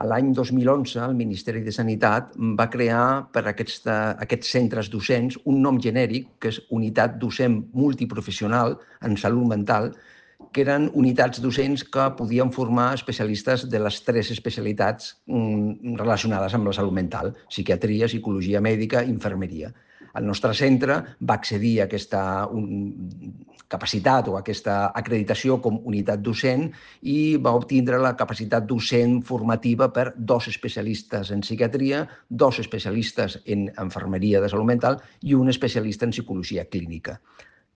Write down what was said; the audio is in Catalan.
L'any 2011, el Ministeri de Sanitat va crear per a aquests centres docents un nom genèric, que és Unitat Docent Multiprofessional en Salut Mental, que eren unitats docents que podien formar especialistes de les 3 especialitats relacionades amb la salut mental: psiquiatria, psicologia mèdica i infermeria. El nostre centre va accedir a aquesta capacitat o a aquesta acreditació com unitat docent i va obtindre la capacitat docent formativa per 2 especialistes en psiquiatria, 2 especialistes en infermeria de salut mental i un especialista en psicologia clínica.